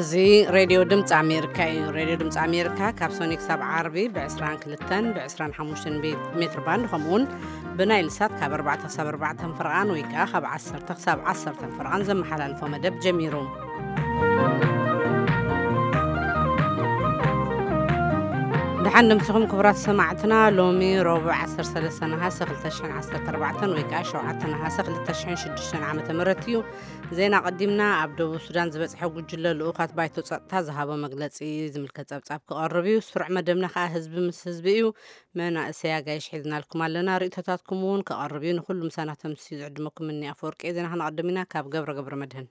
እዚ ሬድዮ ድምፂ ኣሜሪካ እዩ። ሬድዮ ድምፂ ኣሜሪካ ካብ ሶኒ ክሳብ ዓርቢ ብ22 ብ25 ሜትር ባንድ፣ ከምኡውን ብናይል ሳት ካብ ኣርባዕተ ክሳብ ኣርባዕተ ፍርቓን ወይ ከዓ ካብ ዓሰርተ ክሳብ ዓሰርተ ፍርቓን ዘመሓላልፎ መደብ ጀሚሩ። ደሓን ደምሲኹም ክቡራት ሰማዕትና። ሎሚ ረቡዕ ዓሰርተ ሰለስተ ነሃሰ ክልተ ሽሕን ዓሰርተ ኣርባዕተን ወይ ከዓ ሸውዓተ ነሃሰ ክልተ ሽሕን ሽዱሽተን ዓመተ ምህረት እዩ። ዜና ቀዲምና። ኣብ ደቡብ ሱዳን ዝበፅሐ ጉጅለ ልኡኻት ባይቶ ጸጥታ ዝሃቦ መግለጺ ዝምልከት ጸብጻብ ክቐርብ እዩ። ስሩዕ መደብና ከዓ ህዝቢ ምስ ህዝቢ እዩ። መናእሰይ ኣጋይሽ ሒዝናልኩም ኣለና። ርእይቶታትኩም እውን ክቐርብ እዩ። ንኩሉ ምሳና ተምስዩ ዝዕድመኩም እኒ ኣፈወርቂ። ዜና ክነቐድም ኢና ካብ ገብረ ገብረ መድህን።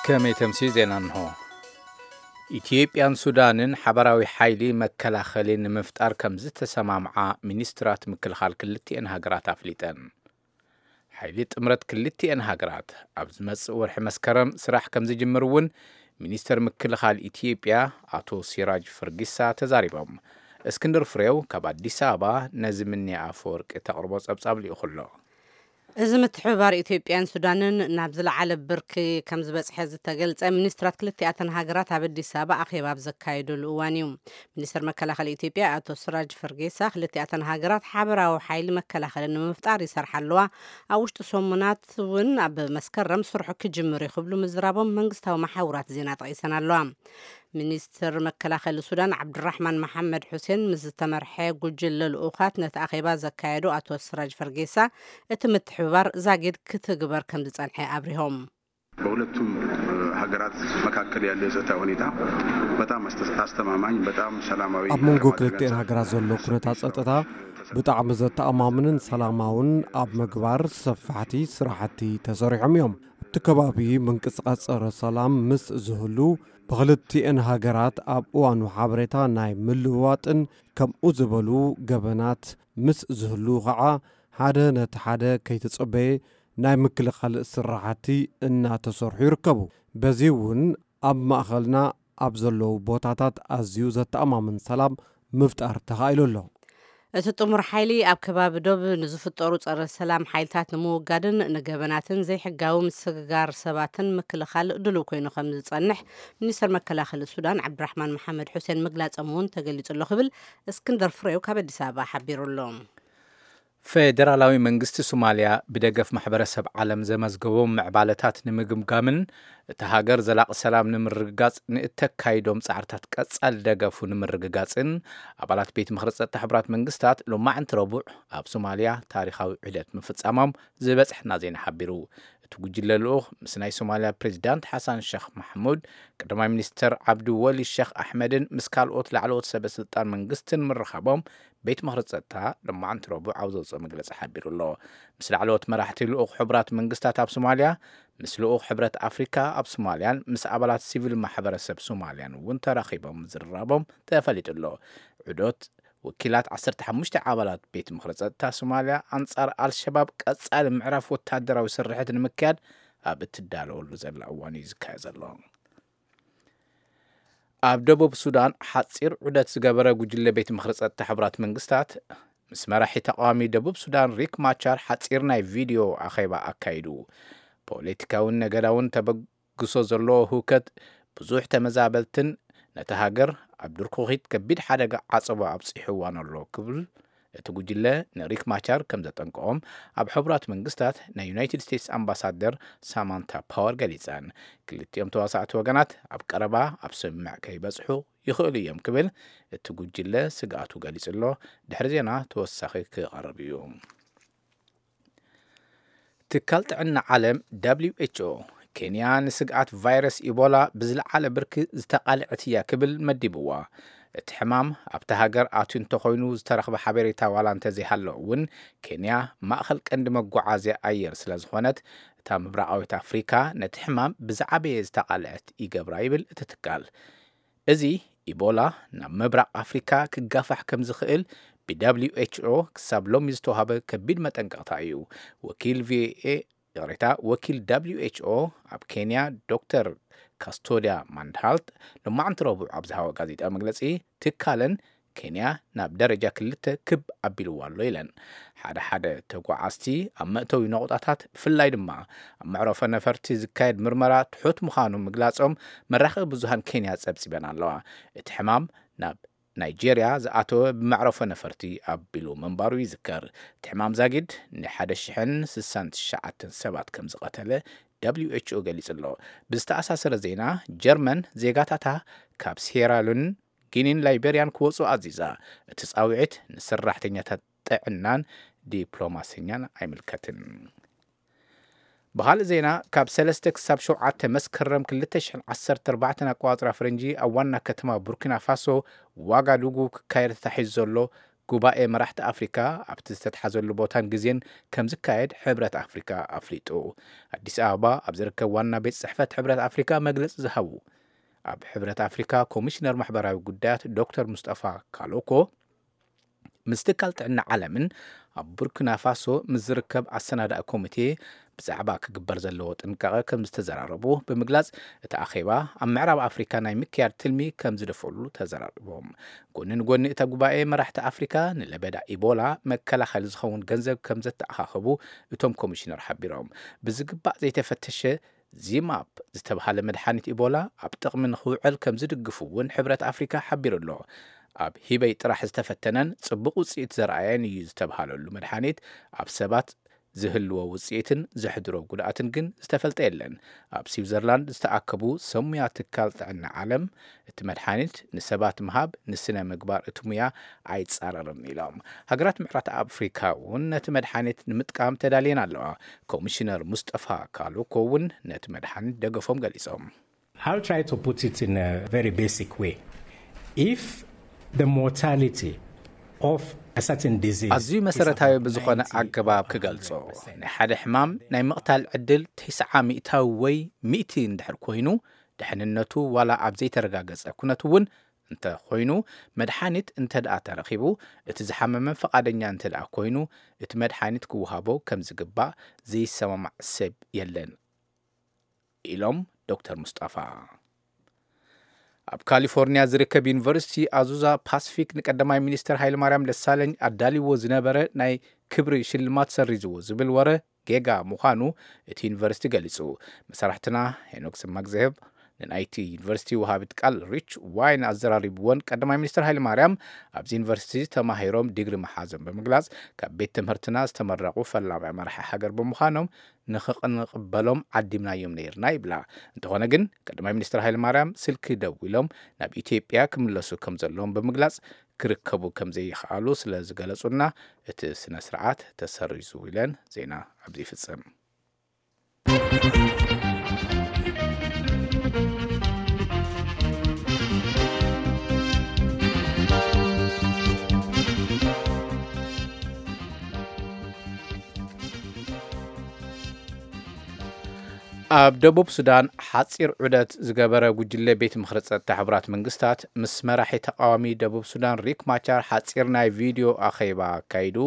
ከመይ ተምስዩ ዜና እንሆ። ኢትዮጵያን ሱዳንን ሓበራዊ ሓይሊ መከላኸሊ ንምፍጣር ከም ዝተሰማምዓ ሚኒስትራት ምክልኻል ክልቲኤን ሃገራት ኣፍሊጠን። ሓይሊ ጥምረት ክልቲኤን ሃገራት ኣብ ዝመጽእ ወርሒ መስከረም ስራሕ ከም ዝጅምር እውን ሚኒስተር ምክልኻል ኢትዮጵያ ኣቶ ሲራጅ ፈርጊሳ ተዛሪቦም። እስክንድር ፍሬው ካብ ኣዲስ ኣበባ ነዚ ምንያ ኣፈወርቂ ተቕርቦ ጸብጻብ ልኢኹ ኣሎ። እዚ ምትሕብባር ኢትዮጵያን ሱዳንን ናብ ዝለዓለ ብርኪ ከም ዝበጽሐ ዝተገልጸ፣ ሚኒስትራት ክልቲኣተን ሃገራት ኣብ ኣዲስ ኣበባ ኣኼባ ኣብ ዘካየደሉ እዋን እዩ። ሚኒስትር መከላኸሊ ኢትዮጵያ ኣቶ ስራጅ ፈርጌሳ፣ ክልቲኣተን ሃገራት ሓበራዊ ሓይሊ መከላኸሊ ንምፍጣር ይሰርሓ ኣለዋ፣ ኣብ ውሽጢ ሰሙናት እውን ኣብ መስከረም ስርሑ ክጅምር እዩ ክብሉ ምዝራቦም መንግስታዊ መሓውራት ዜና ጠቒሰን ኣለዋ። ሚኒስትር መከላኸሊ ሱዳን ዓብዱራሕማን መሓመድ ሑሴን ምስ ዝተመርሐ ጉጅለ ልኡኻት ነቲ ኣኼባ ዘካየዱ ኣቶ ስራጅ ፈርጌሳ፣ እቲ ምትሕብባር ዛጊድ ክትግበር ከም ዝጸንሐ ኣብሪሆም። በሁለቱም ሀገራት መካከል ያለው የጸጥታ ሁኔታ በጣም አስተማማኝ፣ በጣም ሰላማዊ። ኣብ መንጎ ክልቲኤን ሃገራት ዘሎ ኩነታት ጸጥታ ብጣዕሚ ዘተኣማምንን ሰላማውን ኣብ ምግባር ሰፋሕቲ ስራሕቲ ተሰሪሖም እዮም። ኣብቲ ከባቢ ምንቅስቃስ ጸረ ሰላም ምስ ዝህሉ፣ ብኽልቲኤን ሃገራት ኣብ እዋኑ ሓበሬታ ናይ ምልውዋጥን ከምኡ ዝበሉ ገበናት ምስ ዝህሉ ከዓ ሓደ ነቲ ሓደ ከይተጸበየ ናይ ምክልኻል ስራሕቲ እናተሰርሑ ይርከቡ። በዚ እውን ኣብ ማእኸልና ኣብ ዘለዉ ቦታታት ኣዝዩ ዘተኣማምን ሰላም ምፍጣር ተኻኢሉ ኣሎ። እቲ ጥሙር ሓይሊ ኣብ ከባቢ ዶብ ንዝፍጠሩ ጸረ ሰላም ሓይልታት ንምውጋድን ንገበናትን ዘይሕጋዊ ምስግጋር ሰባትን ምክልኻል ድሉው ኮይኑ ከም ዝጸንሕ ሚኒስትር መከላኸሊ ሱዳን ዓብድራሕማን መሓመድ ሑሴን ምግላጾም እውን ተገሊጹ ኣሎ ክብል እስክንደር ፍሬው ካብ ኣዲስ ኣበባ ሓቢሩ ኣሎ። ፌደራላዊ መንግስቲ ሶማልያ ብደገፍ ማሕበረሰብ ዓለም ዘመዝገቦም ምዕባለታት ንምግምጋምን እታ ሃገር ዘላቒ ሰላም ንምርግጋጽ ንእተካይዶም ጻዕርታት ቀጻሊ ደገፉ ንምርግጋጽን ኣባላት ቤት ምኽሪ ጸጥታ ሕቡራት መንግስታት ሎማዕንቲ ረቡዕ ኣብ ሶማልያ ታሪኻዊ ዑደት ምፍጻሞም ዝበጽሐና ዜና ሓቢሩ። እቲ ጉጅለ ልኡኽ ምስ ናይ ሶማልያ ፕሬዚዳንት ሓሳን ሸኽ ማሕሙድ፣ ቀዳማይ ሚኒስትር ዓብዲ ወሊ ሸኽ ኣሕመድን ምስ ካልኦት ላዕለዎት ሰበ ስልጣን መንግስትን ምርኻቦም ቤት ምኽሪ ጸጥታ ሎማዕንቲ ረቡዕ ኣብ ዘውፅኦ መግለፂ ሓቢሩ ኣሎ። ምስ ላዕለዎት መራሕቲ ልኡኽ ሕቡራት መንግስታት ኣብ ሶማልያ፣ ምስ ልኡኽ ሕብረት ኣፍሪካ ኣብ ሶማልያን ምስ ኣባላት ሲቪል ማሕበረሰብ ሶማልያን እውን ተራኺቦም ምዝርራቦም ተፈሊጡ ኣሎ። ዑደት ወኪላት ዓሰርተ ሓሙሽተ ኣባላት ቤት ምኽሪ ጸጥታ ሶማልያ ኣንጻር ኣልሸባብ ቀጻሊ ምዕራፍ ወታደራዊ ስርሕት ንምክያድ ኣብ እትዳለወሉ ዘላ እዋን እዩ ዝካየድ ዘሎ። ኣብ ደቡብ ሱዳን ሓጺር ዑደት ዝገበረ ጉጅለ ቤት ምኽሪ ጸጥታ ሕቡራት መንግስታት ምስ መራሒ ተቃዋሚ ደቡብ ሱዳን ሪክ ማቻር ሓጺር ናይ ቪድዮ ኣኼባ ኣካይዱ። ፖለቲካውን ነገዳውን ተበግሶ ዘለዎ ህውከት ብዙሕ ተመዛበልትን ነቲ ሃገር ኣብ ድርኩኺት ከቢድ ሓደጋ ዓጸቦ ኣብጺሕዋን ኣሎ ክብል እቲ ጉጅለ ንሪክ ማቻር ከም ዘጠንቀቖም ኣብ ሕቡራት መንግስታት ናይ ዩናይትድ ስቴትስ ኣምባሳደር ሳማንታ ፓወር ገሊጸን። ክልቲኦም ተዋሳእቲ ወገናት ኣብ ቀረባ ኣብ ስምምዕ ከይበጽሑ ይኽእሉ እዮም ክብል እቲ ጉጅለ ስግኣቱ ገሊጹ ኣሎ። ድሕሪ ዜና ተወሳኺ ክቐርብ እዩ። ትካል ጥዕና ዓለም ደብሊው ኤች ኦ ኬንያ ንስግኣት ቫይረስ ኢቦላ ብዝለዓለ ብርኪ ዝተቓልዐት እያ ክብል መዲብዋ። እቲ ሕማም ኣብቲ ሃገር ኣትዩ እንተኾይኑ ዝተረኽበ ሓበሬታ ዋላ እንተዘይሃሎ እውን ኬንያ ማእኸል ቀንዲ መጓዓዝያ ኣየር ስለ ዝኾነት እታ ምብራቓዊት ኣፍሪካ ነቲ ሕማም ብዝዓበየ ዝተቓልዐት ይገብራ ይብል እቲ ትካል። እዚ ኢቦላ ናብ ምብራቕ ኣፍሪካ ክጋፋሕ ከም ዝኽእል ብ ደብሊው ኤች ኦ ክሳብ ሎሚ ዝተዋህበ ከቢድ መጠንቀቕታ እዩ። ወኪል ቪኦኤ ይቕሬታ፣ ወኪል ደብሊው ኤች ኦ ኣብ ኬንያ ዶክተር ካስቶዲያ ማንድሃልት ሎማዕንቲ ረቡዕ ኣብ ዝሃቦ ጋዜጣዊ መግለጺ ትካለን ኬንያ ናብ ደረጃ ክልተ ክብ ኣቢልዋ ኣሎ ኢለን። ሓደ ሓደ ተጓዓዝቲ ኣብ መእተዊ ነቑጣታት፣ ብፍላይ ድማ ኣብ መዕረፎ ነፈርቲ ዝካየድ ምርመራ ትሑት ምዃኑ ምግላጾም መራኸቢ ብዙሃን ኬንያ ጸብጺበን ኣለዋ። እቲ ሕማም ናብ ናይጄርያ ዝኣተወ ብመዕረፎ ነፈርቲ ኣቢሉ ምንባሩ ይዝከር። እቲ ሕማም ዛጊድ ንሓደ ሽሕን ስሳን ትሽዓተን ሰባት ከም ዝቐተለ ደብሊው ኤች ኦ ገሊጹ ኣሎ። ብዝተኣሳሰረ ዜና፣ ጀርመን ዜጋታታ ካብ ሴራሉን፣ ጊኒን ላይቤርያን ክወጹ ኣዚዛ። እቲ ጻውዒት ንሰራሕተኛታት ጥዕናን ዲፕሎማሰኛን ኣይምልከትን። ብኻልእ ዜና፣ ካብ ሰለስተ ክሳብ ሸውዓተ መስከረም ክልተ ሽሕን ዓሰርተ ኣርባዕተን ኣቆጻጽራ ፈረንጂ ኣብ ዋና ከተማ ቡርኪና ፋሶ ዋጋዱጉ ክካየድ ተታሒዙ ዘሎ ጉባኤ መራሕቲ ኣፍሪካ ኣብቲ ዝተትሓዘሉ ቦታን ግዜን ከም ዝካየድ ሕብረት ኣፍሪካ ኣፍሊጡ። ኣዲስ ኣበባ ኣብ ዝርከብ ዋና ቤት ጽሕፈት ሕብረት ኣፍሪካ መግለጺ ዝሃቡ ኣብ ሕብረት ኣፍሪካ ኮሚሽነር ማሕበራዊ ጉዳያት ዶክተር ሙስጠፋ ካሎኮ ምስ ትካል ጥዕና ዓለምን ኣብ ቡርኪና ፋሶ ምስ ዝርከብ ኣሰናዳኢ ኮሚቴ ብዛዕባ ክግበር ዘለዎ ጥንቃቐ ከም ዝተዘራረቡ ብምግላጽ፣ እቲ ኣኼባ ኣብ ምዕራብ ኣፍሪካ ናይ ምክያድ ትልሚ ከም ዝደፍእሉ ተዘራሪቦም። ጎኒ ንጎኒ እቲ ጉባኤ፣ መራሕቲ ኣፍሪካ ንለበዳ ኢቦላ መከላኸሊ ዝኸውን ገንዘብ ከም ዘተኣኻኸቡ እቶም ኮሚሽነር ሓቢሮም። ብዝግባእ ዘይተፈተሸ ዚማፕ ዝተብሃለ መድሓኒት ኢቦላ ኣብ ጥቕሚ ንኽውዕል ከም ዝድግፉ እውን ሕብረት ኣፍሪካ ሓቢሩ ኣሎ። ኣብ ሂበይ ጥራሕ ዝተፈተነን ጽቡቕ ውጽኢት ዘርኣየን እዩ ዝተብሃለሉ መድሓኒት ኣብ ሰባት ዝህልዎ ውጽኢትን ዘሕድሮ ጉድኣትን ግን ዝተፈልጠ የለን። ኣብ ስዊዘርላንድ ዝተኣከቡ ሰብ ሙያ ትካል ጥዕና ዓለም፣ እቲ መድሓኒት ንሰባት ምሃብ ንስነ ምግባር እቲ ሙያ ኣይጻረርን ኢሎም። ሃገራት ምዕራብ ኣፍሪካ እውን ነቲ መድሓኒት ንምጥቃም ተዳልየን ኣለዋ። ኮሚሽነር ሙስጠፋ ካሉኮ እውን ነቲ መድሓኒት ደገፎም ገሊጾም። I'll try to put it in a very basic way. If the mortality of a certain disease ኣዝዩ መሰረታዊ ብዝኾነ ኣገባብ ክገልጾ፣ ናይ ሓደ ሕማም ናይ ምቕታል ዕድል ተስዓ ሚእታዊ ወይ ሚእቲ እንድሕር ኮይኑ፣ ድሕንነቱ ዋላ ኣብ ዘይተረጋገጸ ኩነት እውን እንተ ኮይኑ፣ መድሓኒት እንተ ደኣ ተረኺቡ፣ እቲ ዝሓመመ ፈቓደኛ እንተ ደኣ ኮይኑ፣ እቲ መድሓኒት ክወሃቦ ከም ዝግባእ ዘይሰማማዕ ሰብ የለን ኢሎም ዶክተር ሙስጣፋ። ኣብ ካሊፎርኒያ ዝርከብ ዩኒቨርሲቲ ኣዙዛ ፓስፊክ ንቀዳማይ ሚኒስትር ሃይለማርያም ደሳለኝ ኣዳልይዎ ዝነበረ ናይ ክብሪ ሽልማት ሰሪዝዎ ዝብል ወረ ጌጋ ምዃኑ እቲ ዩኒቨርሲቲ ገሊጹ። መሳርሕትና ሄኖክ ስማግዘህብ ንናይቲ ዩኒቨርሲቲ ወሃቢት ቃል ሪች ዋይን ኣዘራሪብዎን፣ ቀዳማይ ሚኒስትር ሃይለማርያም ኣብዚ ዩኒቨርሲቲ ተማሂሮም ዲግሪ መሓዞም ብምግላጽ፣ ካብ ቤት ትምህርትና ዝተመረቑ ፈላማይ መራሒ ሃገር ብምዃኖም ንኽንቕበሎም ዓዲምናዮም ነይርና ይብላ። እንተኾነ ግን ቀዳማይ ሚኒስትር ሃይለማርያም ስልኪ ደዊሎም ናብ ኢትዮጵያ ክምለሱ ከም ዘለዎም ብምግላጽ ክርከቡ ከም ዘይኸኣሉ ስለ ዝገለጹና እቲ ስነ ስርዓት ተሰሪዙ ኢለን ዜና ኣብዚ ይፍጽም። ኣብ ደቡብ ሱዳን ሓጺር ዑደት ዝገበረ ጉጅለ ቤት ምኽሪ ጸጥታ ሕቡራት መንግስታት ምስ መራሒ ተቃዋሚ ደቡብ ሱዳን ሪክ ማቻር ሓጺር ናይ ቪድዮ ኣኼባ ኣካይዱ።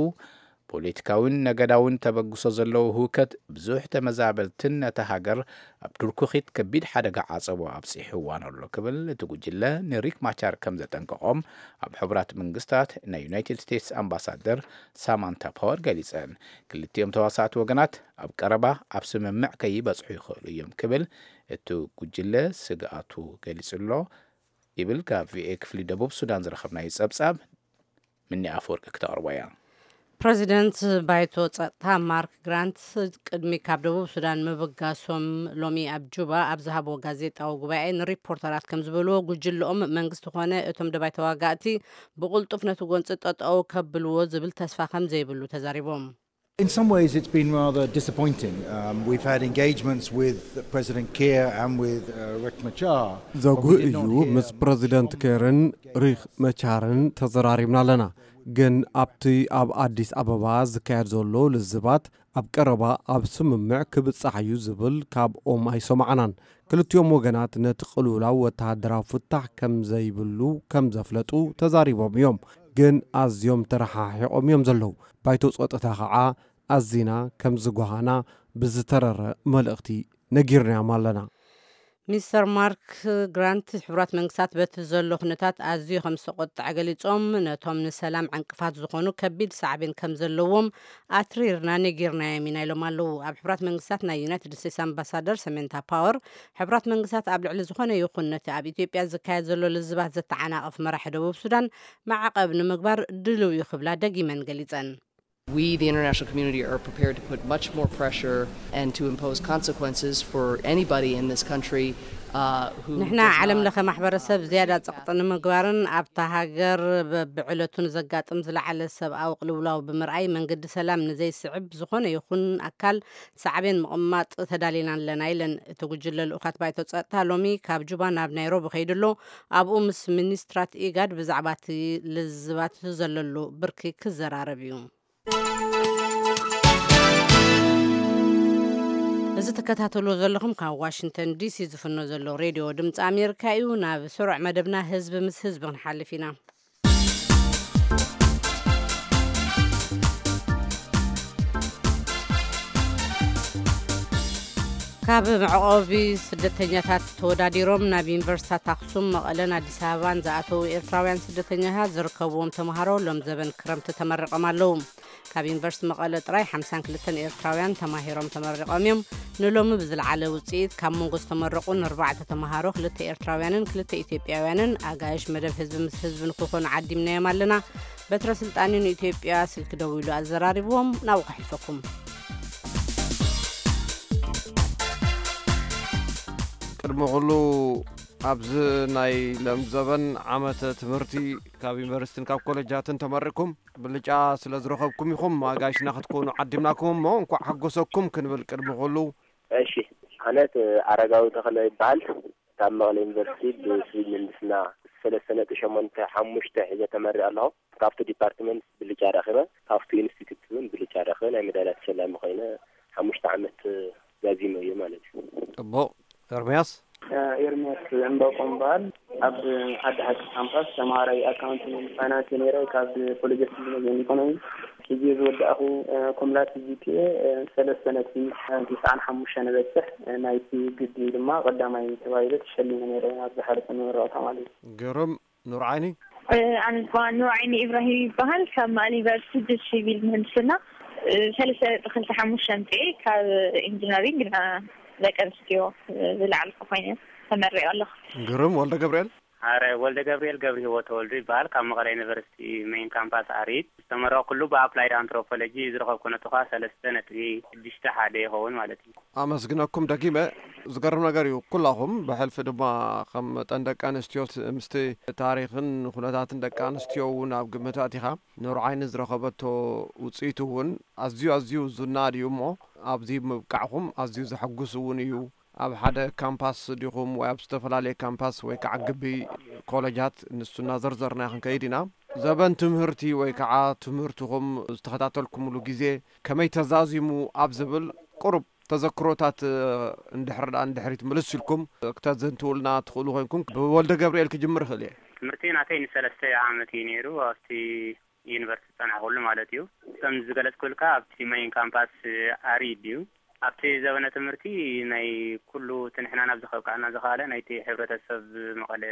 ፖለቲካዊን ነገዳዊን ተበግሶ ዘለዎ ህውከት ብዙሕ ተመዛበልትን ነታ ሃገር ኣብ ድርኩኺት ከቢድ ሓደጋ ዓጸቦ ኣብጺሕዋ ኣሎ ክብል እቲ ጉጅለ ንሪክ ማቻር ከም ዘጠንቀቖም ኣብ ሕቡራት መንግስታት ናይ ዩናይትድ ስቴትስ ኣምባሳደር ሳማንታ ፓወር ገሊጸን። ክልቲኦም ተዋሳእቲ ወገናት ኣብ ቀረባ ኣብ ስምምዕ ከይበጽሑ ይኽእሉ እዮም ክብል እቲ ጉጅለ ስግኣቱ ገሊጹ ኣሎ ይብል ካብ ቪኦኤ ክፍሊ ደቡብ ሱዳን ዝረኸብናዮ ጸብጻብ። ምኒ ኣፈወርቂ ክተቕርቦ እያ። ፕረዚደንት ባይቶ ጸጥታ ማርክ ግራንት ቅድሚ ካብ ደቡብ ሱዳን ምብጋሶም ሎሚ ኣብ ጁባ ኣብ ዝሃብዎ ጋዜጣዊ ጉባኤ ንሪፖርተራት ከም ዝበልዎ፣ ጉጅልኦም መንግስቲ ኮነ እቶም ደባይ ተዋጋእቲ ብቕልጡፍ ነቲ ጎንፂ ጠጠው ከብልዎ ዝብል ተስፋ ከም ዘይብሉ ተዛሪቦም። In some ways, it's been rather disappointing. Um, we've had engagements with President Kiir and with uh, Riek Machar. ዘጉህ እዩ። ምስ ፕረዚደንት ኬርን ሪክ መቻርን ተዘራሪብና ኣለና። ግን ኣብቲ ኣብ ኣዲስ ኣበባ ዝካየድ ዘሎ ልዝባት ኣብ ቀረባ ኣብ ስምምዕ ክብጻሕ እዩ ዝብል ካብኦም ኣይሰማዕናን። ክልቲኦም ወገናት ነቲ ቅልውላው ወተሃደራዊ ፍታሕ ከም ዘይብሉ ከም ዘፍለጡ ተዛሪቦም እዮም። ግን ኣዝዮም ተረሓሒቖም እዮም ዘለዉ። ባይቶ ጸጥታ ኸዓ ኣዚና ከም ዝጓሃና ብዝተረረ መልእኽቲ ነጊርናዮም ኣለና። ሚስተር ማርክ ግራንት፣ ሕቡራት መንግስታት በቲ ዘሎ ኩነታት ኣዝዩ ከም ዝተቆጥዐ ገሊጾም፣ ነቶም ንሰላም ዕንቅፋት ዝኾኑ ከቢድ ሳዕቤን ከም ዘለዎም ኣትሪርና ነጊርናዮም ኢና ኢሎም ኣለዉ። ኣብ ሕቡራት መንግስታት ናይ ዩናይትድ ስቴትስ ኣምባሳደር ሰሜንታ ፓወር፣ ሕቡራት መንግስታት ኣብ ልዕሊ ዝኾነ ይኹን ነቲ ኣብ ኢትዮጵያ ዝካየድ ዘሎ ልዝባት ዘተዓናቕፍ መራሒ ደቡብ ሱዳን ማዕቐብ ንምግባር ድልው እዩ ክብላ ደጊመን ገሊጸን። We, the international community, are prepared to put much more pressure and to impose consequences for anybody in this country, uh, who ንሕና does ዓለም not, ለኸ ማሕበረሰብ uh, ዝያዳ respect ጸቕጢ ንምግባርን ኣብታ ሃገር በብዕለቱ ንዘጋጥም ዝለዓለ ሰብኣዊ ቅልውላው ብምርኣይ መንገዲ ሰላም ንዘይስዕብ ዝኾነ ይኹን ኣካል ሳዕቤን ምቕማጥ ተዳሊና ኣለና ኢለን። እቲ ጉጅለ ልኡኻት ባይቶ ጸጥታ ሎሚ ካብ ጁባ ናብ ናይሮቢ ከይዱ ኣሎ። ኣብኡ ምስ ሚኒስትራት ኢጋድ ብዛዕባ እቲ ልዝባት ዘለሉ ብርኪ ክዘራረብ እዩ። እዚ ትከታተልዎ ዘለኹም ካብ ዋሽንግተን ዲሲ ዝፍኖ ዘሎ ሬድዮ ድምፂ ኣሜሪካ እዩ። ናብ ስሩዕ መደብና ህዝቢ ምስ ህዝቢ ክንሓልፍ ኢና። ካብ መዕቆቢ ስደተኛታት ተወዳዲሮም ናብ ዩኒቨርሲታት ኣክሱም፣ መቐለን ኣዲስ ኣበባን ዝኣተዉ ኤርትራውያን ስደተኛታት ዝርከብዎም ተምሃሮ ሎም ዘበን ክረምቲ ተመሪቖም ኣለዉ። ካብ ዩኒቨርሲቲ መቐለ ጥራይ ሓምሳን ክልተን ኤርትራውያን ተማሂሮም ተመሪቖም እዮም። ንሎሚ ብዝለዓለ ውፅኢት ካብ መንጎ ዝተመረቑ ንኣርባዕተ ተምሃሮ፣ ክልተ ኤርትራውያንን ክልተ ኢትዮጵያውያንን ኣጋይሽ መደብ ህዝቢ ምስ ህዝቢ ንክኾኑ ዓዲምናዮም ኣለና። በትረ ስልጣን ንኢትዮጵያ ስልኪ ደዊሉ ኣዘራሪብዎም። ናብኡ ከሕልፈኩም። ቅድሚ ኩሉ ኣብዚ ናይ ሎም ዘበን ዓመተ ትምህርቲ ካብ ዩኒቨርሲቲን ካብ ኮሌጃትን ተመሪቕኩም ብልጫ ስለ ዝረኸብኩም ኢኹም ኣጋይሽና ክትኮኑ ዓዲምናኩም እሞ እንኳዕ ሓጎሰኩም ክንብል ቅድሚ ኩሉ። እሺ፣ ኣነ ኣረጋዊ ተኽለ ይበሃል። ካብ መቐለ ዩኒቨርሲቲ ብሲቪል ምህንድስና ሰለስተ ነጥቢ ሸሞንተ ሓሙሽተ ሒዘ ተመሪቐ ኣለኹ። ካብቲ ዲፓርትመንት ብልጫ ረኺበ፣ ካብቲ ኢንስቲትዩት እውን ብልጫ ረኺበ ናይ መዳልያ ተሸላሚ ኮይነ ሓሙሽተ ዓመት ዛዚመ እዩ ማለት እዩ። ጽቡቕ። ኤርምያስ? ኤርምያስ ዕምባቆም በሃል። ኣብ ዓዲ ሓቂ ካምፓስ ተምሃራይ ኣካውንቲንግ ፋይናንስ ነይረ ካብ ኮሌጅ ኦፍ ቢዝነስ ኤንድ ኢኮኖሚ። ሕጂ ዝወዳእኹ ኮምላቲቭ ጂ ፒ ኤ ሰለስተ ነጥቢ ትስዓን ሓሙሽተን በጽሕ። ናይቲ ግዲ ድማ ቀዳማይ ተባሂለ ተሸሊመ ነይረ ኣብ ዝሓለፈ መመረቕታ ማለት እዩ። ግርም። ኑር ዓይኒ? ኣነ ድማ ኑር ዓይኒ ኢብራሂም ይበሃል። ካብ መቐለ ዩኒቨርሲቲ ብሲቪል ምህንድስና ሰለስተ ነጥቢ ክልተ ሓሙሽተ ኣምፅኤ ካብ ኢንጂነሪንግ ንደቂ ኣንስትዮ ዝለዓልኩ ኮይነ ተመሪቐ ኣለኹ። ግርም። ወልደ ገብርኤል? ኣረ፣ ወልደ ገብርኤል ገብረ ህይወት ተወልዱ ይበሃል። ካብ መቐለ ዩኒቨርሲቲ ሜይን ካምፓስ ኣሪድ ዝተመረቕኩሉ ብኣፕላይድ ኣንትሮፖሎጂ ዝረኸብኩ ነጥቢ ኸዓ ሰለስተ ነጥቢ ሽዱሽተ ሓደ ይኸውን ማለት እዩ። ኣመስግነኩም ደጊመ። ዝገርም ነገር እዩ፣ ኩላኹም ብሕልፊ ድማ ከም መጠን ደቂ ኣንስትዮ ት-፣ ምስቲ ታሪኽን ኩነታትን ደቂ ኣንስትዮ እውን ኣብ ግምት ኣእቲኻ፣ ኑር ዓይኒ ዝረኸበቶ ውፅኢት እውን ኣዝዩ ኣዝዩ ዝናድ እዩ እሞ ኣብዚ ምብቃዕኹም ኣዝዩ ዘሐጉስ እውን እዩ። ኣብ ሓደ ካምፓስ ዲኹም ወይ ኣብ ዝተፈላለየ ካምፓስ ወይ ከዓ ግቢ ኮለጃት ንሱ እናዘርዘርና ክንከይድ ኢና። ዘበን ትምህርቲ ወይ ከዓ ትምህርትኹም ዝተኸታተልኩምሉ ግዜ ከመይ ተዛዚሙ ኣብ ዝብል ቁሩብ ተዘክሮታት፣ እ፣ እንድሕር ደኣ ንድሕሪት ምልስ ኢልኩም ክተዘንትውልና ትኽእሉ ኮይንኩም፣ ብወልደ ገብርኤል ክጅምር እኽእል እየ። ትምህርቲ ናተይ ንሰለስተ ዓመት እዩ ነይሩ፣ ኣብቲ ዩኒቨርሲቲ ዝጸናሕኩሉ ማለት እዩ። ከም ዝገለጽኩልካ፣ ኣብቲ መይን ካምፓስ ኣሪድ እዩ። ኣብቲ ዘበነ ትምህርቲ ናይ ኩሉ እቲ ንሕና ናብ ዝኸብቃዕና ዝኸኣለ ናይቲ ሕብረተሰብ መቐለ፣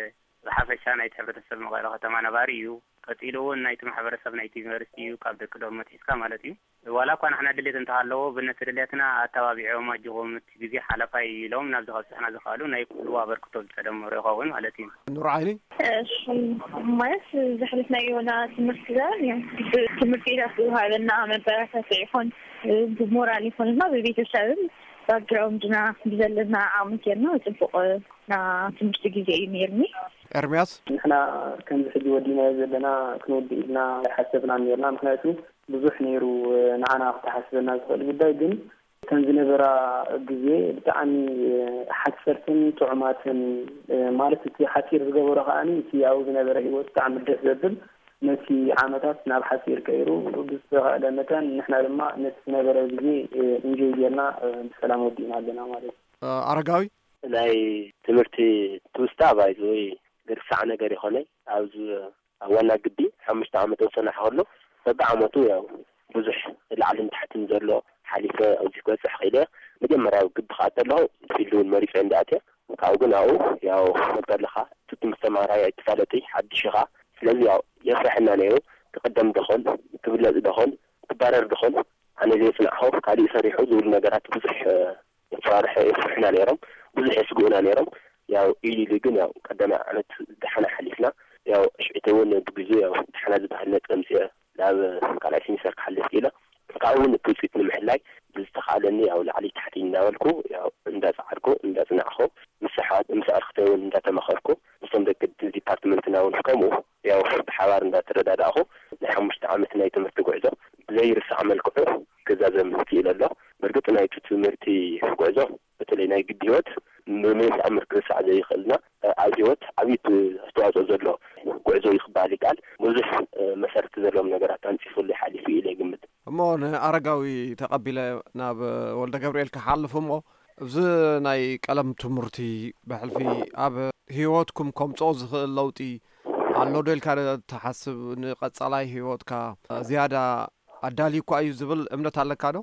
ብሓፈሻ ናይቲ ሕብረተሰብ መቐለ ከተማ ነባሪ እዩ። ቀጺሉ እውን ናይቲ ማሕበረሰብ ናይቲ ዩኒቨርሲቲ እዩ፣ ካብ ደቂ ዶብ መትሒዝካ ማለት እዩ። ዋላ እኳ ንሕና ድሌት እንተሃለዎ፣ ብነቲ ድሌትና ኣተባቢዖም ኣጆኹም እቲ ግዜ ሓለፋይ ኢሎም ናብዚ ከብጽሑና ዝኸኣሉ ናይ ኩሉ ኣበርክቶ ዝተደመሮ ይኸውን ማለት እዩ። ኑር ዓይኒ? እሺ፣ ማለት ዘሕለፍናዮ ናይ ትምህርቲ ዘመን እዩ። ብትምህርቲ ቤታት ዝወሃበና መበረታትዒ ይኹን ብሞራል ይኹን ድማ ብቤተሰብን ባክግራውንድና ብዘለና ዓቕሚ ጌርና ጽቡቕ ናይ ትምህርቲ ግዜ እዩ ነይርኒ። ኤርምያስ? ንሕና ከምዚ ሕጂ ወዲናዮ ዘለና ክንወድእ ኢልና ኣይሓሰብናን ኔርና። ምኽንያቱ ብዙሕ ነይሩ ንዓና ክተሓስበና ዝኽእል ጉዳይ፣ ግን እተን ዝነበራ ግዜ ብጣዕሚ ሓጸርትን ጥዑማትን፣ ማለት እቲ ሓጺር ዝገበሮ ከኣኒ እቲ ኣብኡ ዝነበረ ህይወት ብጣዕሚ ደስ ዘብል፣ ነቲ ዓመታት ናብ ሓጺር ቀይሩ ብዝተኻእለ መጠን ንሕና ድማ ነቲ ዝነበረ ግዜ ኢንጆይ ጌርና ብሰላም ወዲእና ኣለና ማለት እዩ። ኣረጋዊ? ናይ ትምህርቲ ትውስታ ባይዘወይ ዝርሳዕ ነገር ይኾነይ። ኣብዚ ኣብ ዋና ግቢ ሓሙሽተ ዓመት ዝጸናሕ ከሎ በብዓመቱ ያው ብዙሕ ላዕልን ታሕትን ዘሎ ሓሊፈ ኣብዚ ክበጽሕ ክኢለ። መጀመርያ ኣብ ግቢ ክኣቱ ኣለኹ ፊልድ እውን መሪጸ እንዲ ኣትየ ካብኡ ግን ኣብኡ ያው መጋድልኻ እቲ ትምህርቲ ተማሃራይ ኣይትፋለጥይ ሓድሽ ኢኻ። ስለዚ ያው የፍርሐና ነይሩ። ትቕደም ደኾን፣ ትብለጽ ደኾን፣ ትባረር ደኾን፣ ኣነ ዘይጽናዕኹ ካሊእ ሰሪሑ ዝብሉ ነገራት ብዙሕ የፈራርሐ የፍርሕና ነይሮም። ብዙሕ የስግኡና ነይሮም። ያው ኢሉ ኢሉ ግን ያው ቀዳማይ ዓመት ደሓና ሓሊፍና። ያው ሽዕቲ እውን ብግዜ ያው ደሓና ዝበሃል ነጥቢ ኣምፅአ ናብ ካልኣይ ሲሚስተር ክሓልፍ ኢለ። ካብኡ እውን እቲ ውፅኢት ንምሕላይ ብዝተኻእለኒ ያው ላዕሊ ታሕቲ እንዳበልኩ ያው እንዳፀዓድኩ እንዳፅናዕኹ ምስ ኣሕዋት ምስ ኣርክተይ እውን እንዳተመኸርኩ ምስቶም ደቂ ዲፓርትመንትና እውን ከምኡ ያው ብሓባር እንዳተረዳዳእኹ ናይ ሓሙሽተ ዓመት ናይ ትምህርቲ ጉዕዞ ብዘይርሳዕ መልክዑ ክዛዘም ክኢለ ኣሎ። ብርግፅ ናይቲ ትምህርቲ ጉዕዞ በተለይ ናይ ግዲ ህይወት ብመን ተኣምር ክርሳዕ ዘይኽእልና ኣብ ህይወት ዓብዪ ኣስተዋፅኦ ዘሎ ጉዕዞ እዩ ክበሃል ይከኣል። ብዙሕ መሰረት ዘለዎም ነገራት ኣንፂፉሉ ሓሊፉ ኢለ ይግምት። እሞ ንኣረጋዊ ተቐቢለ ናብ ወልደ ገብርኤል ክሓልፍ እሞ፣ እዚ ናይ ቀለም ትምህርቲ ብሕልፊ ኣብ ህይወትኩም ከምፅኦ ዝኽእል ለውጢ ኣሎ ዶ ኢልካ ትሓስብ? ንቐፃላይ ህይወትካ ዝያዳ ኣዳልዩ እኳ እዩ ዝብል እምነት ኣለካ ዶ?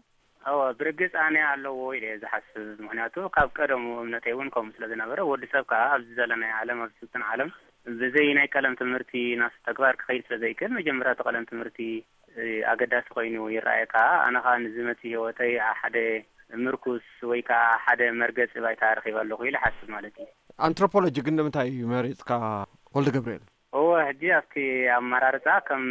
እወ፣ ብርግጽ ኣነ ኣለዎ ኢለ እየ ዝሓስብ። ምኽንያቱ ካብ ቀደሙ እምነተይ እውን ከምኡ ስለ ዝነበረ፣ ወዲ ሰብ ከኣ ኣብዚ ዘለናዮ ዓለም፣ ኣብዚ ስልጡን ዓለም፣ ብዘይ ናይ ቀለም ትምህርቲ ናብቲ ተግባር ክኸይድ ስለ ዘይክእል፣ መጀመርያ እቲ ቀለም ትምህርቲ፣ እ፣ ኣገዳሲ ኮይኑ ይረኣየካ። ኣነ ከኣ ንዝመጽእ ህይወተይ ሓደ ምርኩስ ወይ ከኣ ሓደ መርገጺ ባይታ ረኺበ ኣለኹ ኢለ እሓስብ ማለት እዩ። ኣንትሮፖሎጂ ግን ንምንታይ መሪጽካ ወልደ ገብርኤል? እወ፣ ሕጂ ኣብቲ ኣመራርጻ ከም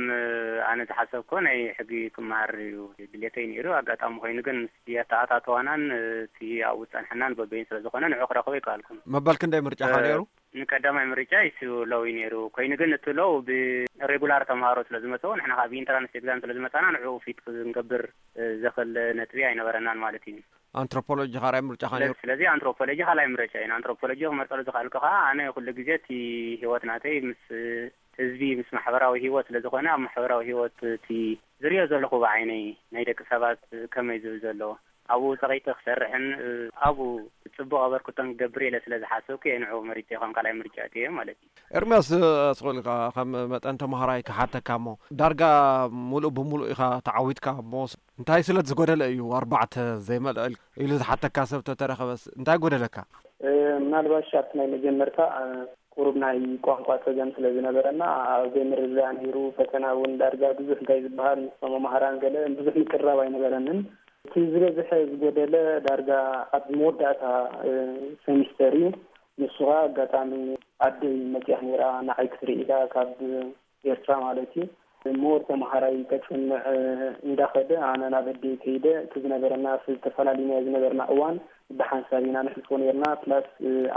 ኣነ ዝሓሰብኮ ናይ ሕጊ ክመሃር እዩ ድሌተይ ነይሩ። ኣጋጣሚ ኮይኑ ግን ምስ ኣተኣታትዋናን እቲ ኣብኡ ዝጸንሐናን በበይኑ ስለ ዝኾነ ንዑ ክረኽቦ ኣይከኣልኩን። መበል ክንደይ ምርጫኻ እ፣ ነይሩ? ንቀዳማይ ምርጫ ኢሱ ሎው እዩ ነይሩ። ኮይኑ ግን እቲ ሎው ብሬጉላር ተምሃሮ ስለ ዝመጽኡ ንሕና ከኣ ብኢንትራንስ ኤግዛም ስለ ዝመጻና ንዕኡ ፊት ክንገብር እ፣ ዘኽእል ነጥቢ ኣይነበረናን ማለት እዩ። ኣንትሮፖሎጂ ካልኣይ ምርጫኻ ስለ-፣ ነይሩ? ስለዚ ኣንትሮፖሎጂ ካልኣይ ምርጫ እዩ። ኣንትሮፖሎጂ ክመርጸሉ ዝኸኣልኩ ከኣ ኣነ ኩሉ ግዜ እቲ ህይወት ናተይ ምስ ህዝቢ፣ ምስ ማሕበራዊ ህይወት ስለ ዝኾነ ኣብ ማሕበራዊ ህይወት እቲ ዝሪኦ ዘለኹ ብዓይነይ ናይ ደቂ ሰባት ከመይ ዝብል ዘሎ ኣብኡ ጸቒጠ ክሰርሕን፣ እ፣ ኣብኡ ጽቡቕ ኣበርክቶን ክገብር ኢለ ስለ ዝሓሰብኩ እየ ንዕኡ መሪጸ ከም ካልኣይ ምርጫ እትየ ማለት እዩ። ኤርምያስ፣ ኣስቑልካ ከም መጠን ተምሃራይ ክሓተካ እሞ፣ ዳርጋ ሙሉእ ብሙሉእ ኢኻ ተዓዊትካ እሞ፣ እንታይ ስለ ዝጎደለ እዩ ኣርባዕተ ዘይመልአ ኢሉ ዝሓተካ ሰብ ተተረኸበስ፣ እንታይ ጎደለካ? እ፣ ምናልባሽ ኣብቲ ናይ መጀመርታ፣ እ፣ ቁሩብ ናይ ቋንቋ ጸገም ስለ ዝነበረና፣ ኣብ ዘይምርድዳእ ነይሩ። ፈተና እውን ዳርጋ ብዙሕ እንታይ ዝበሃል ምስ መማህራን ገለ ብዙሕ ምቅርራብ ኣይነበረንን። እቲ ዝበዝሐ ዝጎደለ ዳርጋ ኣብ መወዳእታ፣ እ፣ ሰሚስተር እዩ። ንሱ ኸኣ ኣጋጣሚ ኣደይ መጺኣ ነይራ፣ ንዓይ ክትርኢ ኢላ ካብ ኤርትራ ማለት እዩ። ሞር ተምሃራይ ከጽንዕ እንዳኸደ ኣነ ናብ ኣደይ ከይደ፣ እቲ ዝነበረና፣ እቲ ዝተፈላለዩና ዝነበርና እዋን ብሓንሳብ ኢና ነሕልፎ ነይርና። ፕላስ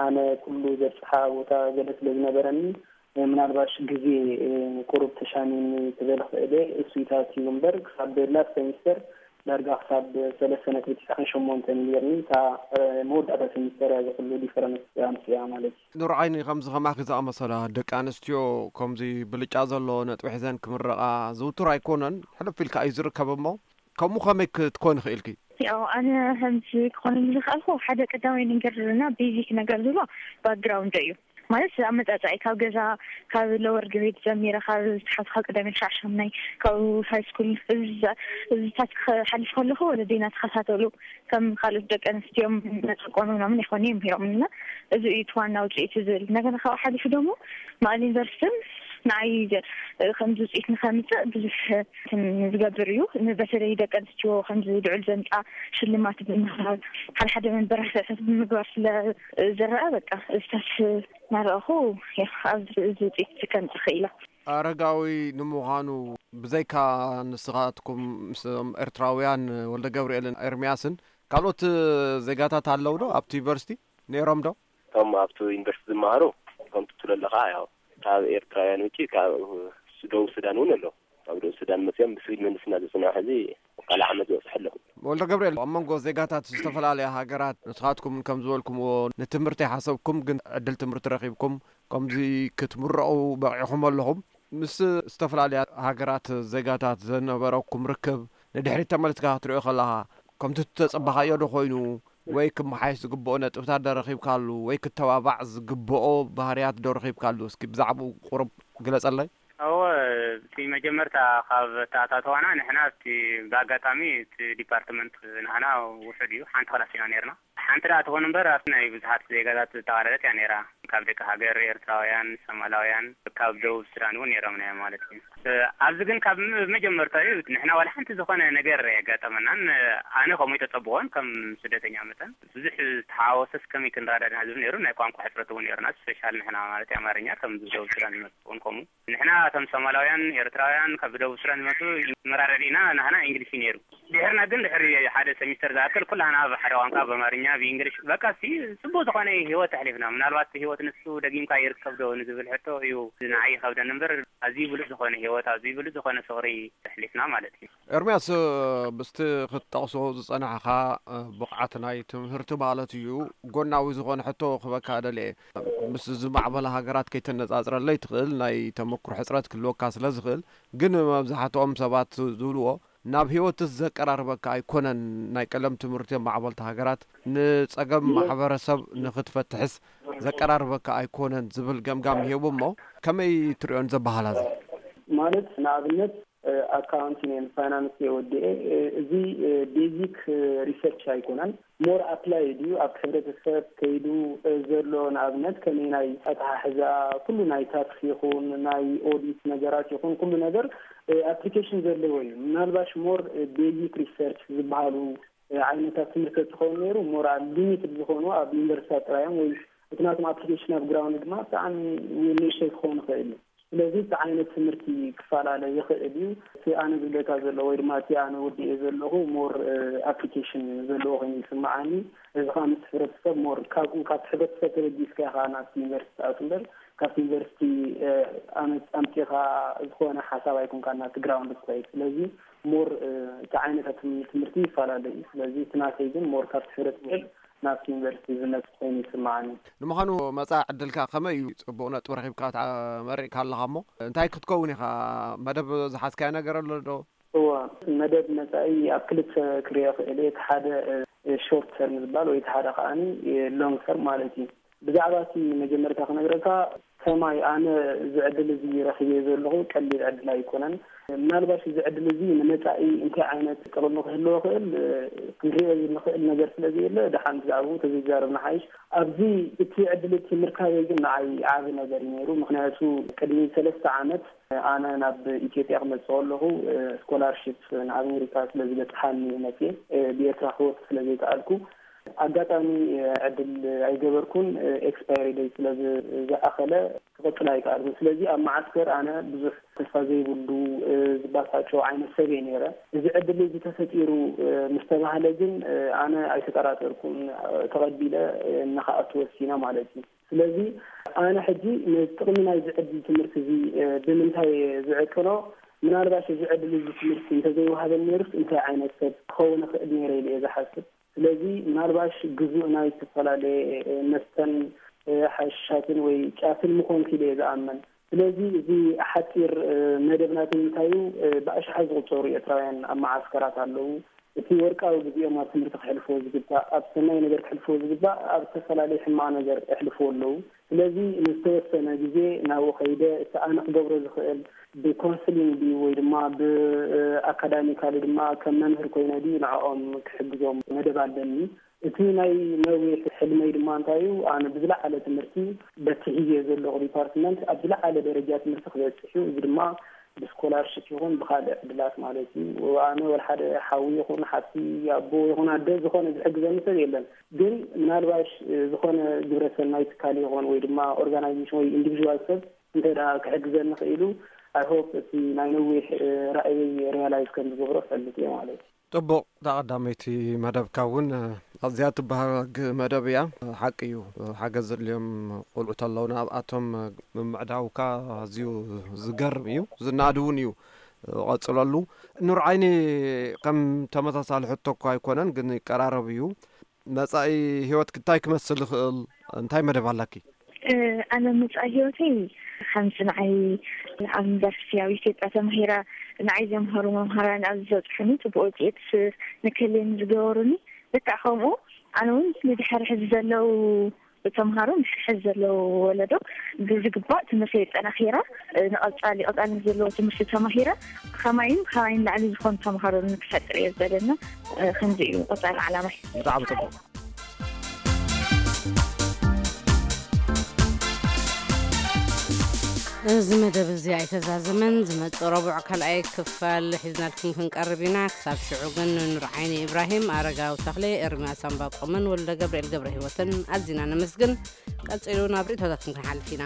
ኣነ ኩሉ ዘብጽሓ ቦታ ገለ ስለ ዝነበረኒ፣ ምናልባሽ ግዜ ቁሩብ ተሻሚኒ ክብል ክእል እየ። እሱይታት እዩ እምበር ክሳብ ላስት ሰሚስተር ዳርጋ ክሳብ ሰለስተ ነጥቢ ትሽዓን ሸሞንተን ነይርኒ። እታ መወዳእታ ሰሚስተር እያ እዚ ኩሉ ዲፈረንስ ኣምፅያ ማለት እዩ። ኑር ዓይኒ፣ ከምዚ ከማኺ ዝኣመሰላ ደቂ ኣንስትዮ ከምዚ ብልጫ ዘሎ ነጥቢ ሒዘን ክምረቓ ዝውቱር ኣይኮነን፣ ሕልፍ ኢልካ እዩ ዝርከብ። እሞ ከምኡ ከመይ ክትኮን ይኽእልኪ? ያው ኣነ ከምዚ ክኾነኒ ዝኽኣልኩ ሓደ ቀዳማይ ነገር እና ቤዚክ ነገር ዝብሎ ባክግራውንድ እዩ። ማለት ኣመጻጽኣይ ካብ ገዛ፣ ካብ ሎወር ግሬድ ጀሚረ፣ ካብ ታሕቲ፣ ካብ ቀዳማይ ክሳዕ ሻምናይ፣ ካብ ሃይ ስኩል፣ እዚታት ክሓልፍ ከለኹ ወለደይና ተኸታተሉ፣ ከም ካልኦት ደቂ ኣንስትዮ መጨቆኑ ምናምን ይኾኑ እዮም ሂሮምና። እዚ እዩ እቲ ዋና ውፅኢት ዝብል። እንደገና ካብኡ ሓሊፉ ደግሞ መቐለ ዩኒቨርሲቲን ንዓይ ዘ-፣ ከምዚ ውፅኢት ንኸምፅእ ብዙሕ እንትን ዝገብር እዩ። ን-፣ በተለይ ደቂ ኣንስትዮ ከምዚ ልዑል ዘምፃ ሽልማት ብምሃብ፣ ሓደ ሓደ መንበራስዕታት ብምግባር ስለ ዝረኣ፣ በቃ፣ እዝታት እናረኣኹ፣ ያ፣ ኣብዚ እዚ ውፅኢት ከምፅእ ክኢላ። ኣረጋዊ፣ ንምዃኑ ብዘይካ ንስኻትኩም ምስቶም ኤርትራውያን ወልደ ገብርኤልን ኤርምያስን ካልኦት ዜጋታት ኣለዉ ዶ ኣብቲ ዩኒቨርሲቲ? ነይሮም ዶ? እቶም ኣብቲ ዩኒቨርሲቲ ዝመሃሩ፣ ከምቲ ትብሎ ኣለኻ፣ ያው፣ ካብ ኤርትራውያን ውጪ፣ ካብ ሱ-፣ ደቡብ ሱዳን እውን ኣለዉ። ካብ ደቡብ ሱዳን መፅኦም ብሲቪል ምህንድስና ዝፅንሑ፣ ሕዚ ካልእ ዓመት ዝበፅሑ ኣለዉ። ወልደ ገብርኤል፣ ኣብ መንጎ ዜጋታት ዝተፈላለያ ሃገራት፣ ንስኻትኩም ከም ዝበልኩምዎ፣ ንትምህርቲ ሓሰብኩም፣ ግን ዕድል ትምህርቲ ረኺብኩም፣ ከምዚ ክትምረቑ በቒዕኹም ኣለኹም። ምስ ዝተፈላለያ ሃገራት ዜጋታት ዝነበረኩም ርክብ፣ ንድሕሪት ተመልስካ ክትሪኦ ከለኻ፣ ከምቲ እተጸበኻዮ ዶ ኮይኑ? ወይ ክመሓየሽ ዝግብኦ ነጥብታት ዶ ረኺብካሉ? ወይ ክተባባዕ ዝግብኦ ባህርያት ዶ ረኺብካሉ? እስኪ ብዛዕባኡ ቁሩብ ግለጸለይ። እወ፣ እቲ መጀመርታ ካብ ኣተኣታትዋና ንሕና እቲ ብኣጋጣሚ እቲ ዲፓርትመንት ንዓና ውሑድ እዩ፣ ሓንቲ ክላስ ኢና ነይርና። ሓንቲ ደኣ ትኾን እምበር ኣብቲ ናይ ብዙሓት ዜጋታት ዝተቓለለት እያ ነይራ። ካብ ደቂ ሃገር ኤርትራውያን፣ ሶማላውያን፣ ካብ ደቡብ ሱዳን እውን ነይሮም እዮም ማለት እዩ። እ፣ ኣብዚ ግን ካብ ም-፣ መጀመርታኡ ንሕና ዋላ ሓንቲ ዝኾነ ነገር ኣየጋጠመናን። ኣነ ከምኡ ተጸብቖን ከም ስደተኛ መጠን ብዙሕ ዝተሓዋወሰስ ከመይ ክንረዳድእ ዝብል ነይሩ። ናይ ቋንቋ ሕጽረት እውን ነይሩና። ስፔሻል ንሕና ማለት ኣማርኛ ከም ደቡብ ሱዳን ዝመጽእ እውን ከምኡ። ንሕና ከም ሶማላውያን፣ ኤርትራውያን ካብ ደቡብ ሱዳን ዝመጹ መራዳዲእና ናህና እንግሊሽ እዩ ነይሩ። ድሕርና ግን ድሕሪ ሓደ ሰሚስተር ዝኣክል ኩላህና ብሓደ ቋንቋ ብኣማርኛ ብእንግሊሽ በቃ ሲ ጽቡቅ ዝኾነ ህይወት ኣሕሊፍና። ምናልባት ህይወት ንሱ ደጊምካ ይርከብ ዶ ንዝብል ሕቶ እዩ ንዓይ ይኸብደኒ እምበር ኣዝዩ ብሉጽ ዝኾነ ህይወት ኣዝዩ ብሉጽ ዝኾነ ፍቕሪ ኣሕሊፍና ማለት እዩ። ኤርምያስ፣ ምስቲ ክትጠቕሶ ዝጸናሕኻ ብቕዓት ናይ ትምህርቲ ማለት እዩ፣ ጎናዊ ዝኾነ ሕቶ ክበካ ደልየ። ምስ ዝማዕበላ ሃገራት ከይተነጻጽረለይ ትኽእል፣ ናይ ተመክሮ ሕጽረት ክህልወካ ስለ ዝኽእል፣ ግን መብዛሕትኦም ሰባት ዝብልዎ ናብ ህይወትስ ዘቀራርበካ ኣይኮነን። ናይ ቀለም ትምህርቲ ኣብ ማዕበልቲ ሃገራት ንጸገም ማሕበረሰብ ንኽትፈትሕስ ዘቀራርበካ ኣይኮነን ዝብል ገምጋም ይህቡ እሞ ከመይ ትሪኦን ዘበሃላ እዚ? ማለት ንኣብነት ኣካውንቲንግ ፋይናንስ የወድኤ። እዚ ቤዚክ ሪሰርች ኣይኮነን፣ ሞር ኣፕላይ ድዩ ኣብቲ ሕብረተሰብ ከይዱ ዘሎ ንኣብነት ከመይ ናይ ኣተሓሕዛ ኩሉ ናይ ታክስ ይኹን ናይ ኦዲት ነገራት ይኹን ኩሉ ነገር ኣፕሊኬሽን ዘለዎ እዩ። ምናልባሽ ሞር ቤዚክ ሪሰርች ዝበሃሉ ዓይነታት ትምህርቲ ትኸውን ነይሩ ሞር ኣብ ሊሚትድ ዝኾኑ ኣብ ዩኒቨርሲታት ጥራዮም ወይ እቲ ናቶም ኣፕሊኬሽን ኣብ ግራውንድ ድማ ብጣዕሚ ንእሽተይ ክኸውን ይኽእል እዩ። ስለዚ እቲ ዓይነት ትምህርቲ ክፈላለ ይኽእል እዩ። እቲ ኣነ ዝብለካ ዘሎ ወይ ድማ እቲ ኣነ ወዲኤ ዘለኹ ሞር ኣፕሊኬሽን ዘለዎ ኮይኑ ይስምዓኒ። እዚ ከዓ ምስ ሕብረተሰብ ሞር ካብኡ ካብቲ ሕብረተሰብ ተበጊስካ ኢኻ ናብቲ ዩኒቨርሲቲ ትኣቱ እምበር ካብቲ ዩኒቨርሲቲ ኣምፂኻ ዝኾነ ሓሳብ ኣይኮንካ ናቲ ግራውንድ ትኸይድ። ስለዚ ሞር እቲ ዓይነታት ትምህርቲ ይፈላለ እዩ። ስለዚ እቲ ናተይ ግን ሞር ካብቲ ሕብረተሰብ ናብቲ ዩኒቨርሲቲ ዝመጽእ ኮይኑ ይስምዓኒ። ንምዃኑ መጻኢ ዕድልካ ከመይ እዩ? ጽቡቕ ነጥቢ ረኺብካ ተመሪቕካ ኣለኻ እሞ እንታይ ክትከውን ኢኻ? መደብ ዝሓዝካዮ ነገር ኣሎ ዶ? እዋ፣ መደብ መጻኢ ኣብ ክልተ ክሪኦ ክእል እየ። እቲ ሓደ ሾርት ተርም ዝበሃል ወይ እቲ ሓደ ከዓኒ ሎንግ ተርም ማለት እዩ። ብዛዕባ እቲ መጀመርታ ክነግረካ ከማይ ኣነ እዚ ዕድል እዚ ረኺበ ዘለኹ ቀሊል ዕድል ኣይኮነን። ምናልባሽ እዚ ዕድል እዚ ንመጻኢ እንታይ ዓይነት ጥቕሚ ክህልዎ ክእል ክንሪኦ ንኽእል ነገር ስለ ዘየለ ደሓን ብዛዕባኡ ተዘይዛረብና ሓይሽ። ኣብዚ እቲ ዕድል እቲ ምርካበይ ግን ንዓይ ዓቢ ነገር እዩ ነይሩ። ምኽንያቱ ቅድሚ ሰለስተ ዓመት ኣነ ናብ ኢትዮጵያ ክመጽእ ከለኹ ስኮላርሽፕ ንኣሜሪካ ስለ ዝበጽሓኒ መጽየ ብኤርትራ ክወጽእ ስለ ዘይከኣልኩ ኣጋጣሚ ዕድል ኣይገበርኩን። ኤክስፓየሪ ደይ ስለ ዝኣኸለ ክቕጽል ኣይከኣልኩን። ስለዚ ኣብ መዓስከር ኣነ ብዙሕ ተስፋ ዘይብሉ ዝባሳቸው ዓይነት ሰብ እየ ነይረ። እዚ ዕድል እዚ ተፈጢሩ ምስ ተባህለ ግን ኣነ ኣይተጠራጠርኩን። ተቐቢለ ንኽኣቱ ወሲነ ማለት እዩ። ስለዚ ኣነ ሕጂ ነዚ ጥቕሚ ናይዚ ዕድል ትምህርቲ እዚ ብምንታይ እየ ዝዕቅኖ? ምናልባሽ እዚ ዕድል እዚ ትምህርቲ እንተዘይወሃበኒ ነይሩስ እንታይ ዓይነት ሰብ ክኸውን እኽእል ነይረ ኢለ እየ ዝሓስብ። ስለዚ ምናልባሽ ግዙእ ናይ ዝተፈላለየ መስተን ሓሽሻትን ወይ ጫትን ምኾንኩ ኢለ እየ ዝኣምን። ስለዚ እዚ ሓፂር መደብ ናተይ እንታይ እዩ? ብኣሽሓት ዝቑፀሩ ኤርትራውያን ኣብ መዓስከራት ኣለዉ። እቲ ወርቃዊ ግዜኦም ኣብ ትምህርቲ ክሕልፍዎ ዝግባእ፣ ኣብ ሰናይ ነገር ክሕልፍዎ ዝግባእ፣ ኣብ ዝተፈላለየ ሕማቕ ነገር የሕልፍዎ ኣለዉ። ስለዚ ንዝተወሰነ ግዜ ናብኡ ከይደ እቲ ኣነ ክገብሮ ዝኽእል ብኮንስሊንግ ድዩ ወይ ድማ ብኣካዳሚካሊ ድማ ከም መምህር ኮይነ ድዩ ንዕኦም ክሕግዞም መደብ ኣለኒ። እቲ ናይ ነዊሕ ሕልመይ ድማ እንታይ እዩ? ኣነ ብዝለዓለ ትምህርቲ በቲ ሒዘዮ ዘለኹ ዲፓርትመንት ኣብ ዝለዓለ ደረጃ ትምህርቲ ክበፅሕ እዩ። እዚ ድማ ብስኮላርሽፕ ይኹን ብካልእ ዕድላት ማለት እዩ። ኣነ ወላ ሓደ ሓዊ ይኹን ሓፍቲ ኣቦ ይኹን ኣደ ዝኾነ ዝሕግዘኒ ሰብ የለን። ግን ምናልባሽ ዝኾነ ግብረሰናይ ትካል ይኹን ወይ ድማ ኦርጋናይዜሽን ወይ ኢንዲቪዥዋል ሰብ እንተ ደኣ ክሕግዘኒ ክኢሉ ኣይ ሆፕ እቲ ናይ ነዊሕ ራእየይ ሪያላይዝ ከም ዝገብሮ ፈልጥ እየ ማለት እዩ። ጥቡቕ፣ እታ ቀዳመይቲ መደብካ እውን ኣዝያ ትበሃግ መደብ እያ። ሓቂ እዩ፣ ሓገዝ ዘድልዮም ቆልዑ ተለውና ኣብኣቶም ምምዕዳውካ ኣዝዩ ዝገርም እዩ፣ ዝናኣድ እውን እዩ። ቀጽለሉ። ኑር ዓይኒ ከም ተመሳሳሊ ሕቶ እኳ ኣይኮነን፣ ግን ይቀራረብ እዩ። መጻኢ ህይወትኪ እንታይ ክመስል ይኽእል? እንታይ መደብ ኣላኪ? ኣነ መጻኢ ህይወተይ ከምዚ ንዓይ ኣብ ዩኒቨርሲቲ ኣብ ኢትዮጵያ ተማሂራ ንዓይ ዘምሃሩ መምሃራን ኣብዚ ዘብጽሑኒ ጽቡቅ ውፅኢት ንክህልየኒ ዝገበሩኒ ልክዕ ከምኡ ኣነ እውን ንድሕሪ ሕዚ ዘለዉ ተምሃሮ ንድሕሪ ሕዚ ዘለዉ ወለዶ ብዝግባእ ትምህርቲ የጠናኺራ ንቐጻሊ ቀጻልነት ዘለዎ ትምህርቲ ተማሂራ ከማይን ካባይን ላዕሊ ዝኾኑ ተምሃሮ ንክፈጥር እየ ዝደለና። ከምዚ እዩ ቀጻሊ ዓላማይ። ብጣዕሚ ጽቡቅ። እዚ መደብ እዚ ኣይተዛዘመን። ዝመጽእ ረቡዕ ካልኣይ ክፋል ሒዝናልኩም ክንቀርብ ኢና። ክሳብ ሽዑ ግን ንኑር ዓይኒ ኢብራሂም፣ ኣረጋዊ ተኽለ፣ ኤርምያስ ኣምባቆምን ወልደ ገብርኤል ገብረ ህይወትን ኣዚና ነመስግን። ቀጺሉ ናብ ርእይቶታትኩም ክንሓልፍ ኢና።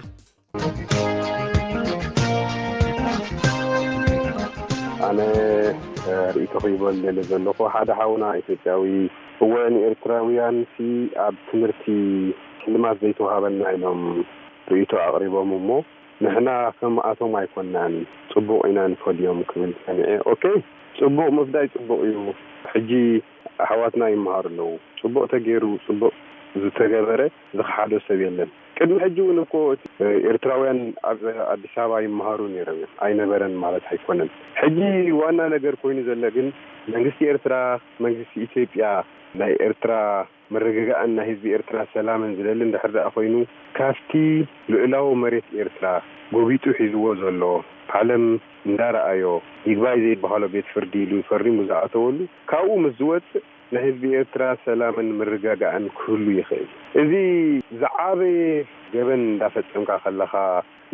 ኣነ ርእይቶ ክይበል ደለ ዘለኹ ሓደ ሓውና ኢትዮጵያዊ እወ ንኤርትራውያን ሲ ኣብ ትምህርቲ ሽልማት ዘይተዋሃበልና ኢሎም ርእይቶ ኣቕሪቦም እሞ ንሕና ከምኣቶም ኣይኮናን ጽቡቕ ኢና ንፈድዮም ክብል ሰሚዐ። ኦኬ ጽቡቕ ምፍዳይ ጽቡቕ እዩ። ሕጂ ኣሕዋትና ይመሃሩ ኣለዉ። ጽቡቕ ተገይሩ ጽቡቕ ዝተገበረ ዝኸሓዶ ሰብ የለን። ቅድሚ ሕጂ እውን እኮ ኤርትራውያን ኣብ ኣዲስ ኣበባ ይመሃሩ ነይሮም እዮም። ኣይነበረን ማለት ኣይኮነን። ሕጂ ዋና ነገር ኮይኑ ዘሎ ግን መንግስቲ ኤርትራ፣ መንግስቲ ኢትዮጵያ ናይ ኤርትራ ምርግጋእን ናይ ህዝቢ ኤርትራ ሰላምን ዝደሊ እንድሕር ደኣ ኮይኑ ካብቲ ልኡላዊ መሬት ኤርትራ ጎቢጡ ሒዝዎ ዘሎ ዓለም እንዳረኣዮ ይግባይ ዘይበሃሎ ቤት ፍርዲ ኢሉ ፈሪሙ ዝኣተወሉ ካብኡ ምስ ዝወፅእ ናይ ህዝቢ ኤርትራ ሰላምን ምርጋጋእን ክህሉ ይኽእል። እዚ ዝዓበየ ገበን እንዳፈጸምካ ከለኻ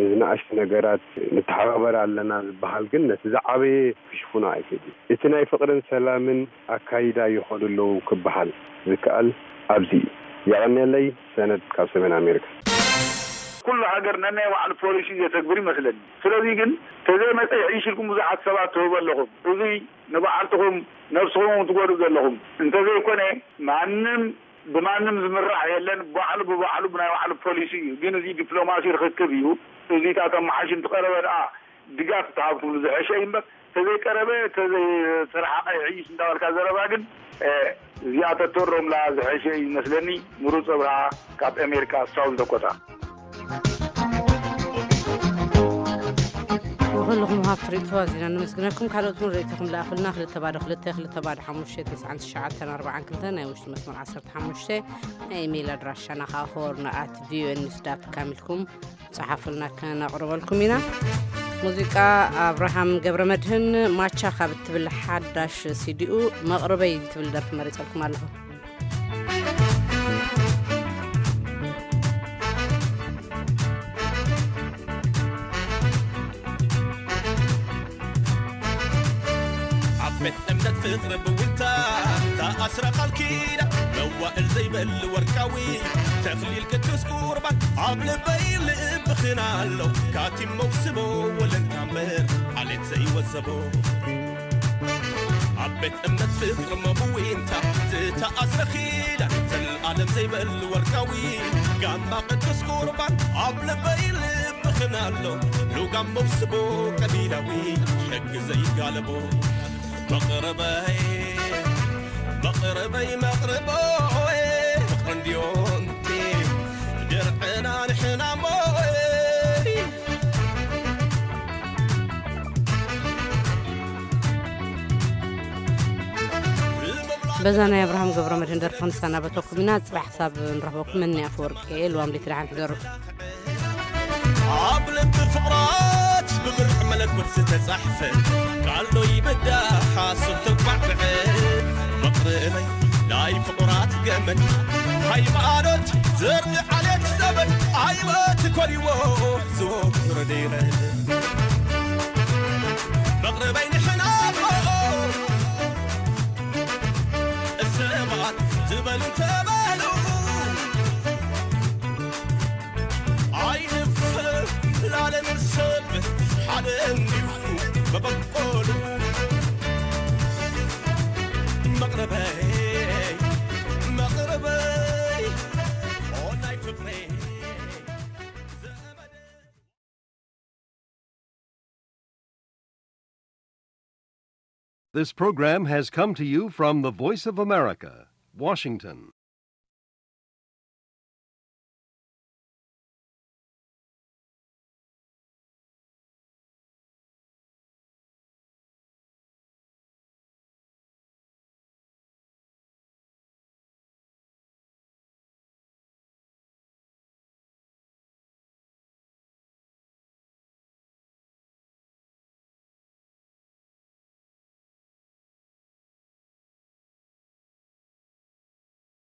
ንዝነኣሽቱ ነገራት ንተሓባበር ኣለና ዝበሃል ግን ነቲ ዝዓበየ ክሽፍኖ ኣይክእልን። እቲ ናይ ፍቕርን ሰላምን ኣካይዳ ይኸዱ ኣለዉ ክበሃል ዝከኣል ኣብዚ እዩ። የቐንየለይ። ሰነድ ካብ ሰሜን ኣሜሪካ። ኩሉ ሃገር ነናይ ባዕሉ ፖሊሲ ዘተግብር ይመስለኒ። ስለዚ ግን ተዘይመጸ ይሕይሽ ኢልኩም ብዙሓት ሰባት ትህቡ ኣለኹም። እዚ ንባዕልትኹም ነብስኹም ትጎድኡ ዘለኹም። እንተዘይኮነ ማንም ብማንም ዝምራሕ የለን። ባዕሉ ብባዕሉ ብናይ ባዕሉ ፖሊሲ እዩ። ግን እዚ ዲፕሎማሲ ርኽክብ እዩ። እዚታት ኣመሓይሹ እንትቐረበ ደኣ ድጋፍ ተሃብኩምሉ ዝሐሸ እዩ እምበር ተዘይቀረበ ተዘይተረሓቐ ይሕይሽ እንዳበልካ ዘረባ ግን እዚኣ ተተሮምላ ዝሐሸ እዩ ይመስለኒ። ምሩፅ ኣብርሃ ካብ ኣሜሪካ ሳውዝ ዳኮታ። ንኹልኹም ሃብቲ ርእይቶ ኣዚና ነመስግነኩም። ካልኦት እውን ርእይቶኹም ለኣኹልና። ክልተ ባዶ ክልተ፣ ክልተ ባዶ ሓሙሽተ፣ ተስዓን ትሽዓተን ኣርባዓን ክልተ ናይ ውሽጢ መስመር ዓሰርተ ሓሙሽተ ናይ ኢሜይል ኣድራሻና ከዓ ሆርን ኣት ቪኦኤ ኒውስ ዳት ካም ኢልኩም ጸሓፉልና፣ ከነቕርበልኩም ኢና። ሙዚቃ ኣብርሃም ገብረ መድህን ማቻ ካብ እትብል ሓዳሽ ሲዲኡ መቕርበይ እትብል ደርፊ መሪጸልኩም ኣለኹ። ኣብ ቤት እምነት ፍቕሪ ብውልታ ተኣስረ ቃል ኪዳን መዋእል ዘይበል ወርቃዊ ተኽሊል ቅዱስ ቁርባን ኣብ ልበይ ልብኽን ኣሎ ካቲም መውስቦ ወለንታ እምበር ዓሌት ዘይወሰቦ ኣብ ቤት እምነት ፍቕሪ መብዊንታ ዝተኣስረ ኪዳን ዘልኣለም ዘይበል ወርቃዊ ጋማ ቅዱስ ቁርባን ኣብ ልበይ ልብኽን ኣሎ ሉጋም መውስቦ ቀቢላዊ ሕጊ ዘይጋለቦ መቕረበይ መቕረበይ መቕረቦይ ፍቕሪ እንድዮንቲ ድርዕና ንሕና ሞይ በዛ ናይ ኣብርሃም ገብረ መድህን ደርፊ ክንሰናበተኩም ኢና። ጽባሕ ክሳብ ንረኽበኩም መኒ ኣፈወርቂ እየ። ልዋም ለይቲ ደሓን ሕደሩ። ኣብ ልቢ ፍቕራት ብብርዕ መለኮት ዝተጻሕፈ ቃል ዶ ይብዳ ሓሶት ተጓዕብዐ መቕርበይ ናይ ፍቑራት ገመድ ሃይማኖት ዘርኢ ዓሌት ዘመድ ኣይወት ኮሪዎ ዝወረደ ይረድ መቕርበይ ንሕና ሰባት ዝበሉ ተበሉ ኣይንፍር ላለም ሰብ ሓደ እንዲሁ መበቆሉ መቕረበይ መቕረበይ ኦናይ ፍቅረይ This program has come to you from the Voice of America, Washington.